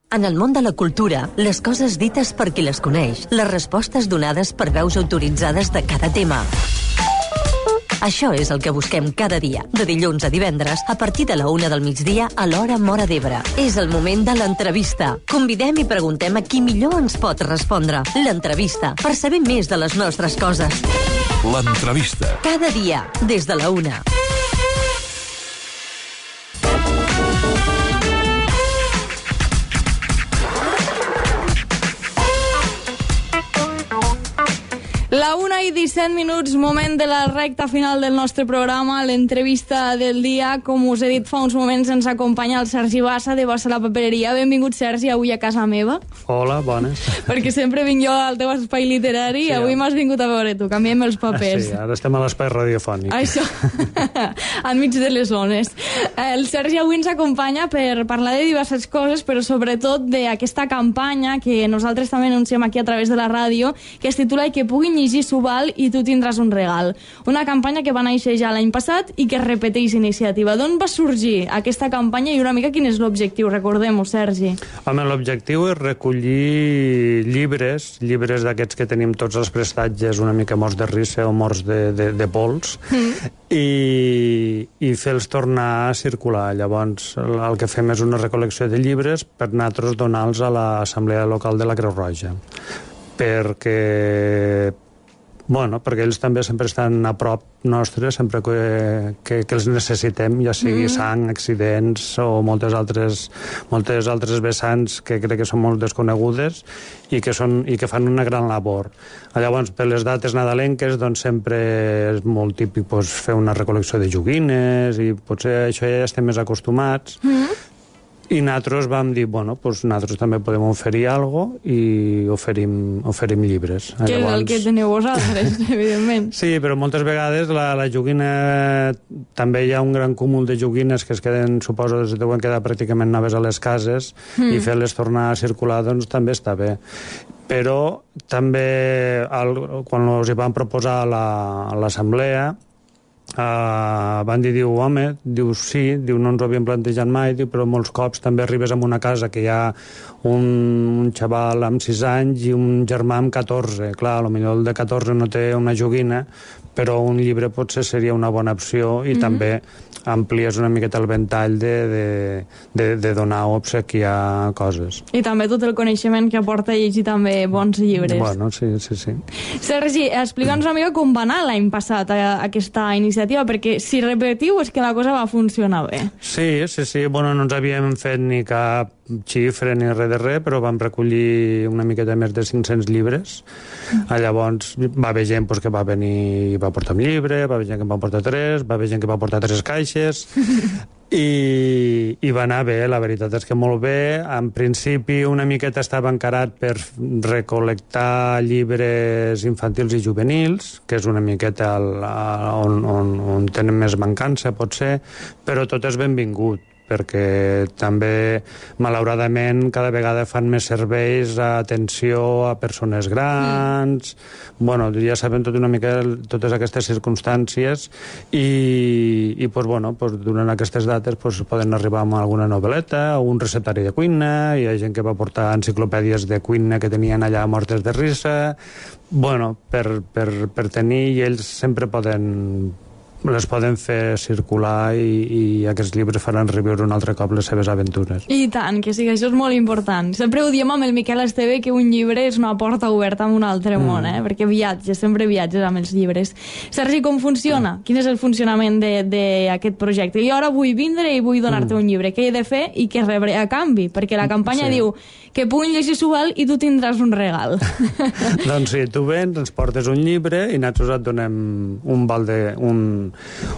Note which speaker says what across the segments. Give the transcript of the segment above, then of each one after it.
Speaker 1: En el món de la cultura, les coses dites per qui les coneix, les respostes donades per veus autoritzades de cada tema. Això és el que busquem cada dia, de dilluns a divendres, a partir de la 1 del migdia a l'hora Móra d'Ebre. És el moment de l'entrevista. Convidem i preguntem a qui millor ens pot respondre. L'entrevista, per saber més de les nostres coses.
Speaker 2: L'entrevista.
Speaker 1: Cada dia, des de la 1.
Speaker 3: La 1:17, moment de la recta final del nostre programa, l'entrevista del dia. Com us he dit fa uns moments, ens acompanya el Sergi Bassa, de Bassa la Papereria. Benvingut, Sergi, avui a casa meva.
Speaker 4: Hola, bones.
Speaker 3: Perquè sempre vinc jo al teu espai literari, i avui m'has vingut a veure tu, canviem els papers.
Speaker 4: Sí, ara estem a l'espai radiofònic.
Speaker 3: Això, enmig de les zones. El Sergi avui ens acompanya per parlar de diverses coses, però sobretot d'aquesta campanya que nosaltres també anunciem aquí a través de la ràdio, que es titula "I que puguin llegir Subal i tu tindràs un regal". Una campanya que va néixer ja l'any passat i que repeteix iniciativa. D'on va sorgir aquesta campanya i una mica quin és l'objectiu? Recordem-ho, Sergi.
Speaker 4: Home, l'objectiu és recollir llibres d'aquests que tenim tots els prestatges una mica morts de risa o morts de pols, i fer-los tornar a circular. Llavors, el que fem és una recol·lecció de llibres per nosaltres donar-los a l'Assemblea Local de la Creu Roja. Perquè ells també sempre estan a prop nostre, sempre que els necessitem, ja sigui sang, accidents o moltes altres vessants que crec que són molt desconegudes i que fan una gran labor. Llavors, per les dates nadalenques, doncs sempre és molt típic fer una recol·lecció de joguines, i potser això ja estem més acostumats. I nosaltres vam dir, nosaltres també podem oferir alguna cosa i oferim llibres.
Speaker 3: Que és el que teniu vosaltres, evidentment.
Speaker 4: Sí, però moltes vegades la joguina... També hi ha un gran cúmul de joguines que es queden, suposo, deuen quedar pràcticament noves a les cases, i fer-les tornar a circular, doncs, també està bé. Però també, quan els hi van proposar a l'assemblea, van dir, sí, no ens ho havíem plantejat mai, però molts cops també arribes a una casa que hi ha un xaval amb 6 anys i un germà amb 14. Clar, potser el de 14 no té una joguina, però un llibre potser seria una bona opció, i també amplies una miqueta el ventall de donar o obsequiar coses.
Speaker 3: I també tot el coneixement que aporta llegir també bons llibres.
Speaker 4: Bueno, sí.
Speaker 3: Sergi, explica'ns una mica com va anar l'any passat aquesta iniciativa, perquè si repetiu és que la cosa va funcionar bé.
Speaker 4: Sí. No ens havíem fet ni cap xifra ni res de res, però vam recollir una miqueta més de 500 llibres. Llavors va haver gent que va venir i va portar un llibre, va haver gent que va portar 3, va haver gent que va portar 3 caixes, i va anar bé, la veritat és que molt bé. En principi una miqueta estava encarat per recol·lectar llibres infantils i juvenils, que és una miqueta on tenen més mancança, potser, però tot és benvingut, perquè també, malauradament, cada vegada fan més serveis d'atenció a persones grans. Ja sabem una mica totes aquestes circumstàncies, i durant aquestes dates poden arribar amb alguna novel·leta o un receptari de cuina. Hi ha gent que va portar enciclopèdies de cuina que tenien allà mortes de risa, per tenir, i ells sempre les poden fer circular, i aquests llibres faran reviure un altre cop les seves aventures.
Speaker 3: I tant, que sí, que això és molt important. Sempre ho diem amb el Miquel Esteve, que un llibre és una porta oberta a un altre món, perquè sempre viatges amb els llibres. Sergi, com funciona? Quin és el funcionament d'aquest projecte? Jo ara vull vindre i vull donar-te un llibre. Què he de fer i què rebré a canvi? Perquè la campanya diu que puguin llegir Subal i tu tindràs un regal.
Speaker 4: Doncs sí, tu vens, ens portes un llibre i nosaltres et donem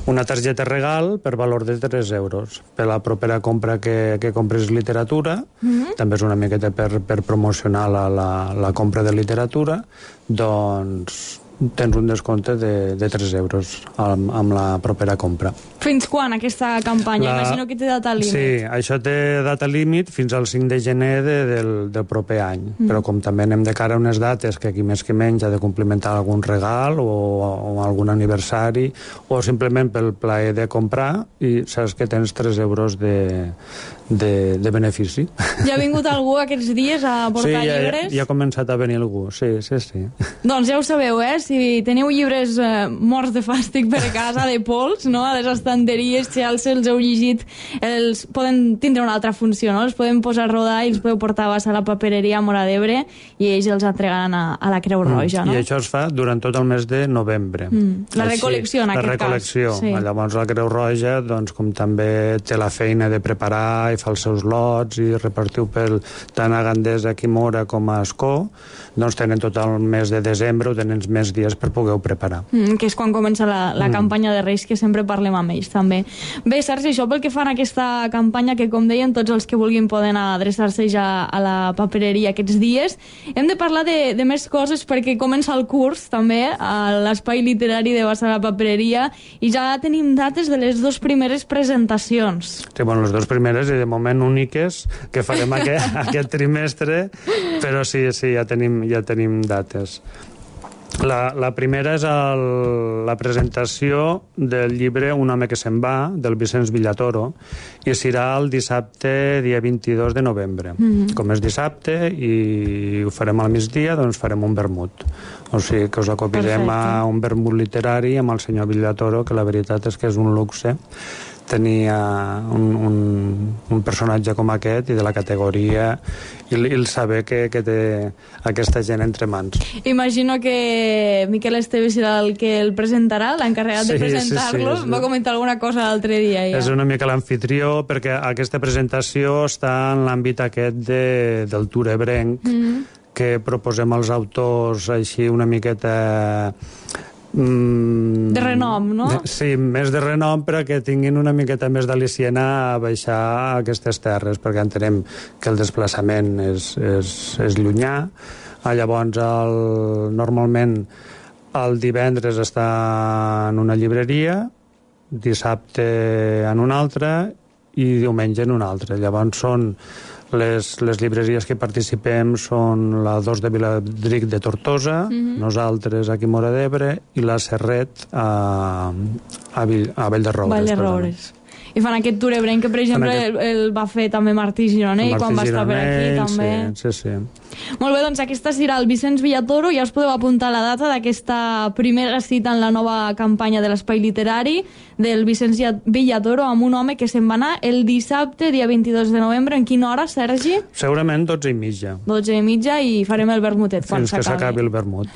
Speaker 4: una targeta regal per valor de 3 euros. Per la propera compra que compres literatura, també és una miqueta per promocionar la compra de literatura, doncs tens un descompte de 3 euros amb la propera compra.
Speaker 3: Fins quan aquesta campanya? Imagino que té data límit.
Speaker 4: Sí, això té data límit fins al 5 de gener del proper any. Però com també anem de cara a unes dates que aquí més que menys ha de complimentar algun regal o algun aniversari o simplement pel plaer de comprar i saps que tens 3 euros de benefici.
Speaker 3: Ja ha vingut algú aquests dies a portar llibres?
Speaker 4: Sí, ja ha començat a venir algú, sí.
Speaker 3: Doncs ja ho sabeu, si teniu llibres morts de fàstic per casa, de pols, no? A les estanteries, si els heu llegit, els poden tindre una altra funció, no? Els podem posar a rodar i els podeu portar a la papereria a Móra d'Ebre i ells els entregaran a la Creu Roja, no?
Speaker 4: I això es fa durant tot el mes de novembre.
Speaker 3: La recol·lecció, en aquest cas.
Speaker 4: La recol·lecció.
Speaker 3: Sí.
Speaker 4: Llavors la Creu Roja, doncs, com també té la feina de preparar i fa els seus lots i repartiu tant a Gandesa, aquí Móra, com a Ascó, doncs tenen tot el mes de desembre o tenen més dies per poder-ho preparar.
Speaker 3: Que és quan comença la campanya de Reis, que sempre parlem amb ells, també. Bé, Sergi, això pel que fan a aquesta campanya, que com deien, tots els que vulguin poden adreçar-se ja a la papereria aquests dies. Hem de parlar de més coses perquè comença el curs, també, a l'Espai Literari de Bassa la Papereria, i ja tenim dates de les 2 primeres presentacions.
Speaker 4: Sí, bueno, les 2 primeres i de moment úniques que farem aquest trimestre, però sí, ja tenim dates. La primera és la presentació del llibre Un home que se'n va, del Vicenç Villatoro, i serà el dissabte, dia 22 de novembre. Com és dissabte i ho farem al migdia, doncs farem un vermut. O sigui que us acompanyem a un vermut literari amb el senyor Villatoro, que la veritat és que és un luxe tenir un personatge com aquest i de la categoria i el saber que té aquesta gent entre mans.
Speaker 3: Imagino que Miquel Esteve serà el que el presentarà, l'encarregat de presentar-lo. Sí. Va comentar alguna cosa l'altre dia ja.
Speaker 4: És una mica l'anfitrió, perquè aquesta presentació està en l'àmbit aquest del Tour ebrenc, que proposem als autors així una miqueta
Speaker 3: de renom, no?
Speaker 4: Sí, més de renom, però que tinguin una miqueta més d'al·liciena a baixar a aquestes terres, perquè entenem que el desplaçament és llunyà. Llavors, normalment el divendres està en una llibreria, dissabte en una altra i diumenge en una altra. Llavors són les llibreries que participem són la 2 de Viladric de Tortosa, nosaltres aquí a Móra d'Ebre, i la Serret a Vall de Roures.
Speaker 3: I fan aquest tour ebrenc que, per exemple, el va fer també Martí Gironell quan va estar per aquí, també.
Speaker 4: Sí.
Speaker 3: Molt bé, doncs aquesta serà el Vicenç Villatoro. Ja us podeu apuntar la data d'aquesta primera cita en la nova campanya de l'Espai Literari del Vicenç Villatoro amb un home que se'n va anar el dissabte, dia 22 de novembre. En quina hora, Sergi?
Speaker 4: Segurament 12:30.
Speaker 3: 12:30 i farem el vermutet quan s'acabi.
Speaker 4: Fins que s'acabi el vermut.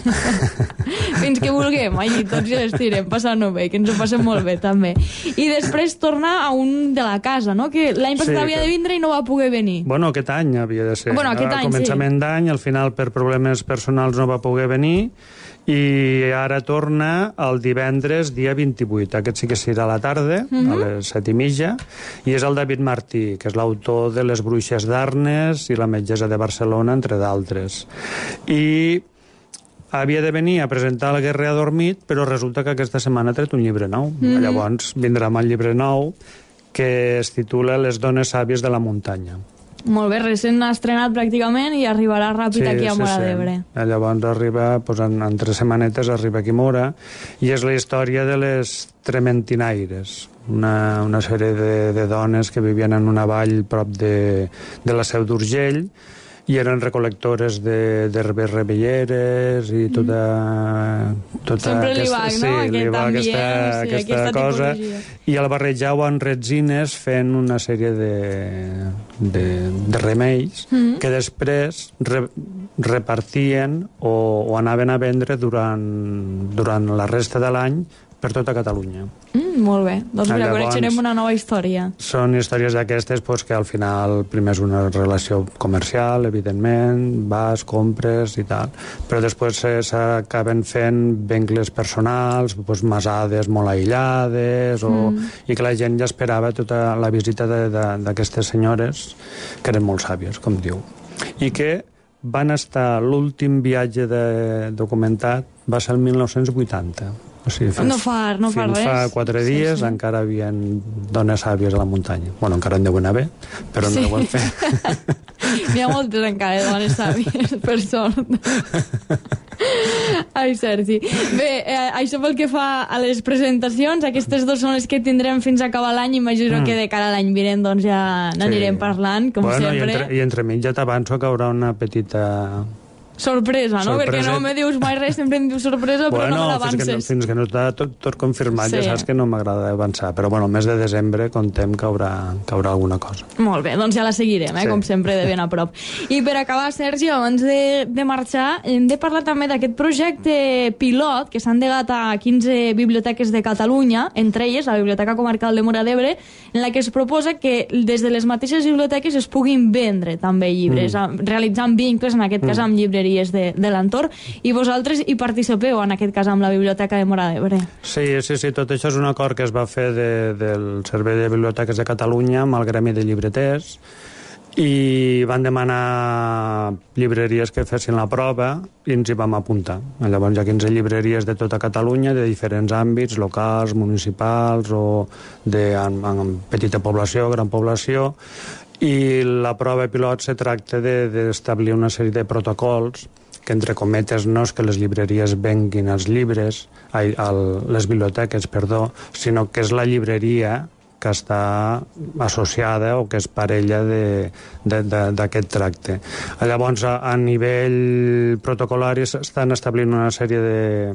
Speaker 3: Fins que vulguem, allí tots i l'estirem, passant-ho bé, que ens ho passem molt bé, també. I després tornar a un de la casa, no? Que l'any passat havia de vindre i no va poder venir.
Speaker 4: Bueno, aquest any havia de ser.
Speaker 3: Bueno, aquest any,
Speaker 4: començament d'any, al final per problemes personals no va poder venir i ara torna el divendres, dia 28. Aquest sí que serà a la tarda, a les 7:30, i és el David Martí, que és l'autor de Les Bruixes d'Arnes i La metgessa de Barcelona, entre d'altres. I havia de venir a presentar El guerrer adormit, però resulta que aquesta setmana ha tret un llibre nou. Llavors vindrà amb el llibre nou, que es titula Les dones sàvies de la muntanya.
Speaker 3: Molt bé, recent estrenat pràcticament i arribarà ràpid aquí a Móra d'Ebre.
Speaker 4: Llavors arriba, en 3 setmanetes arriba aquí a Móra, i és la història de les trementinaires, una sèrie de dones que vivien en una vall prop de la Seu d'Urgell, i eren recol·lectores d'herbes revelleres i tota
Speaker 3: sempre li va, no?
Speaker 4: aquesta cosa, i el barrejau amb retzines fent una sèrie de remeis que després repartien o anaven a vendre durant la resta de l'any per tota Catalunya.
Speaker 3: Molt bé, doncs mira, coneixerem una nova història.
Speaker 4: Són històries d'aquestes que al final primer és una relació comercial, evidentment, vas, compres i tal, però després s'acaben fent vincles personals, masades molt aïllades, i que la gent ja esperava tota la visita d'aquestes senyores, que eren molt sàvies, com diu, i que van estar... L'últim viatge documentat va ser el 1980. O sigui,
Speaker 3: no fa res.
Speaker 4: Fins fa 4 dies encara hi havia dones sàvies a la muntanya. Bueno, encara en deuen haver, però no ho han fet.
Speaker 3: N'hi ha moltes encara, dones sàvies, per sort. Ai, Sergi. Bé, això pel que fa a les presentacions, aquestes 2 són les que tindrem fins a acabar l'any. Imagino que de cara a l'any vinent doncs ja n'anirem parlant, com sempre.
Speaker 4: I entremig ja t'avanço que haurà una petita...
Speaker 3: sorpresa, no? Perquè no me dius mai res, sempre em dius sorpresa, però no me l'avances.
Speaker 4: Fins que no està tot confirmat, ja saps que no m'agrada avançar. Però bueno, el mes de desembre contem que haurà alguna cosa.
Speaker 3: Molt bé, doncs ja la seguirem, com sempre, de ben a prop. I per acabar, Sergi, abans de marxar, hem de parlar també d'aquest projecte pilot que s'ha endegat a 15 biblioteques de Catalunya, entre elles la Biblioteca Comarcal de Móra d'Ebre, en la que es proposa que des de les mateixes biblioteques es puguin vendre també llibres, realitzant vincles, en aquest cas amb llibreries de l'entorn, i vosaltres hi participeu, en aquest cas, amb la Biblioteca de Móra d'Ebre.
Speaker 4: Sí, tot això és un acord que es va fer del Servei de Biblioteques de Catalunya amb el Gremi de Llibreters, i van demanar llibreries que fessin la prova i ens hi vam apuntar. Llavors hi ha 15 llibreries de tota Catalunya, de diferents àmbits, locals, municipals o en petita població, gran població, i la prova pilot se tracta d'establir una sèrie de protocols que, entre cometes, no és que les llibreries venguin els llibres, les biblioteques, sinó que és la llibreria que està associada o que és parella d'aquest tracte. Llavors, a nivell protocolari s'estan establint una sèrie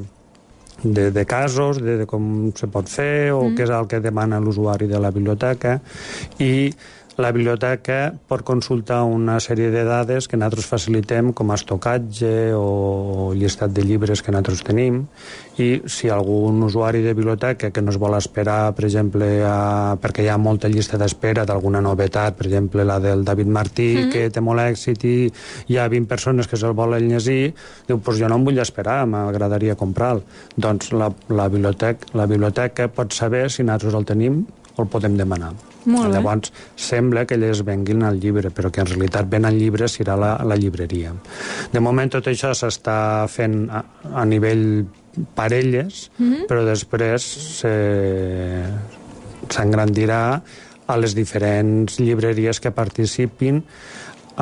Speaker 4: de casos, de com se pot fer o què és el que demana l'usuari de la biblioteca, i la biblioteca pot consultar una sèrie de dades que nosaltres facilitem, com estocatge o llistat de llibres que nosaltres tenim, i si algun usuari de biblioteca que no es vol esperar, per exemple, perquè hi ha molta llista d'espera d'alguna novetat, per exemple la del David Martí, que té molt èxit i hi ha 20 persones que se'l volen llegir, diu, doncs jo no em vull esperar, m'agradaria comprar-lo. Doncs la biblioteca pot saber si nosaltres el tenim o el podem demanar. Llavors sembla que elles venguin el llibre, però que en realitat ven el llibre serà la llibreria. De moment tot això s'està fent a nivell parelles, però després s'engrandirà a les diferents llibreries que participin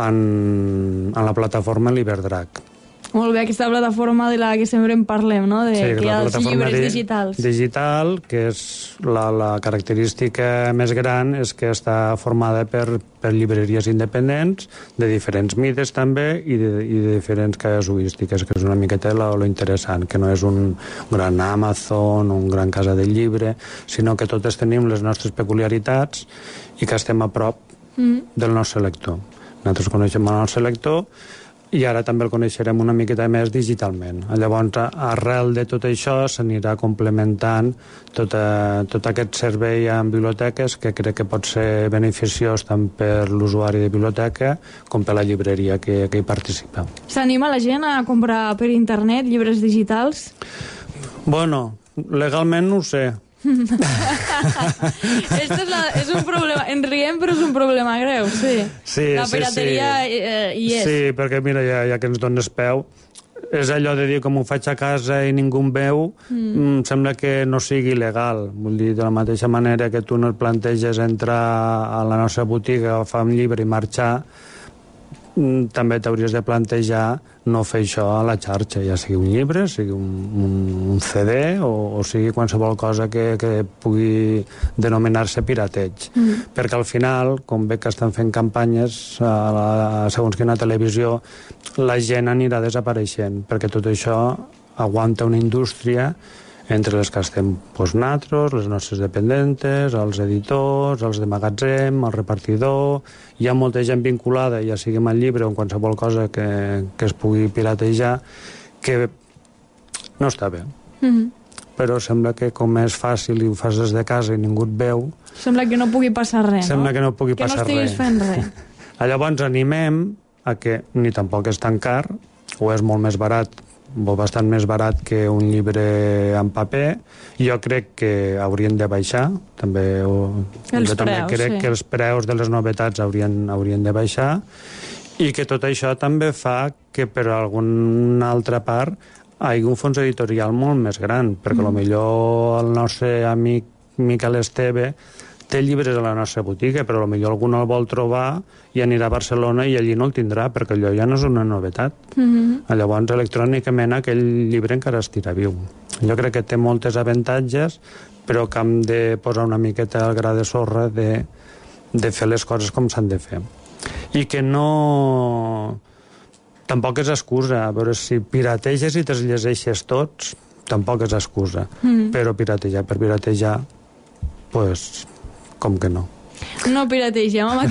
Speaker 4: en la plataforma Liberdrac.
Speaker 3: Molt bé, aquesta plataforma de la que sempre en parlem, no?
Speaker 4: Sí,
Speaker 3: que hi ha els llibres digitals.
Speaker 4: Digital, que és la característica més gran, és que està formada per llibreries independents, de diferents mides també, i de diferents casuístiques, que és una miqueta lo interessant, que no és un gran Amazon, un gran casa del llibre, sinó que totes tenim les nostres peculiaritats i que estem a prop del nostre lector. Nosaltres coneixem el nostre lector, i ara també el coneixerem una miqueta més digitalment. Llavors, arrel de tot això, s'anirà complementant tot aquest servei en biblioteques, que crec que pot ser beneficiós tant per l'usuari de biblioteca com per la llibreria que hi participa.
Speaker 3: S'anima la gent a comprar per internet llibres digitals?
Speaker 4: Bueno, legalment no ho sé.
Speaker 3: És un problema, en riem, però és un problema greu, sí. La pirateria hi és.
Speaker 4: Sí, perquè mira, ja que ens dones peu, és allò de dir, com ho faig a casa i ningú em veu, sembla que no sigui legal. Vull dir, de la mateixa manera que tu no et planteges entrar a la nostra botiga, agafar un llibre i marxar, també t'hauries de plantejar no fer això a la xarxa, ja sigui un llibre, sigui un CD o sigui qualsevol cosa que pugui denominar-se pirateig. Perquè al final, com veig que estan fent campanyes segons quina televisió, la gent anirà desapareixent, perquè tot això aguanta una indústria entre les que estem nosaltres, les nostres dependentes, els editors, els de magatzem, el repartidor. Hi ha molta gent vinculada, ja sigui amb el llibre o en qualsevol cosa que es pugui piratejar, que no està bé. Però sembla que com és fàcil i ho fas des de casa i ningú et veu...
Speaker 3: Sembla que no pugui passar res, no?
Speaker 4: Sembla que no pugui passar res.
Speaker 3: Que no estiguis fent res.
Speaker 4: Llavors animem a que ni tampoc és tan car, o és molt més barat, o bastant més barat que un llibre en paper. Jo crec que haurien de baixar, també crec que els preus de les novetats haurien de baixar, I que tot això també fa que per alguna altra part hi hagi un fons editorial molt més gran, perquè potser el nostre amic Miquel Esteve té llibres a la nostra botiga, però potser algú no el vol trobar i anirà a Barcelona i allí no el tindrà, perquè allò ja no és una novetat. Llavors, electrònicament, aquell llibre encara estirà viu. Jo crec que té moltes avantatges, però que hem de posar una miqueta al gra de sorra de fer les coses com s'han de fer. I que no... Tampoc és excusa. A veure, si pirateges i te'ls llegeixes tots, tampoc és excusa. Però piratejar per piratejar, pues, com que no.
Speaker 3: No pirategem. Amb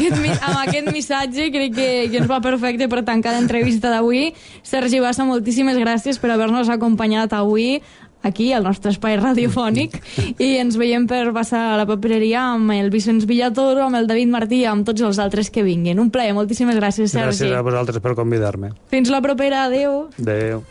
Speaker 3: aquest missatge crec que ens va perfecte per tancar l'entrevista d'avui. Sergi Bassa, moltíssimes gràcies per haver-nos acompanyat avui aquí, al nostre espai radiofònic, i ens veiem per passar a la papereria amb el Vicenç Villatoro, amb el David Martí i amb tots els altres que vinguin. Un plaer, moltíssimes gràcies, Sergi.
Speaker 4: Gràcies a vosaltres per convidar-me.
Speaker 3: Fins la propera, adeu.
Speaker 4: Adeu.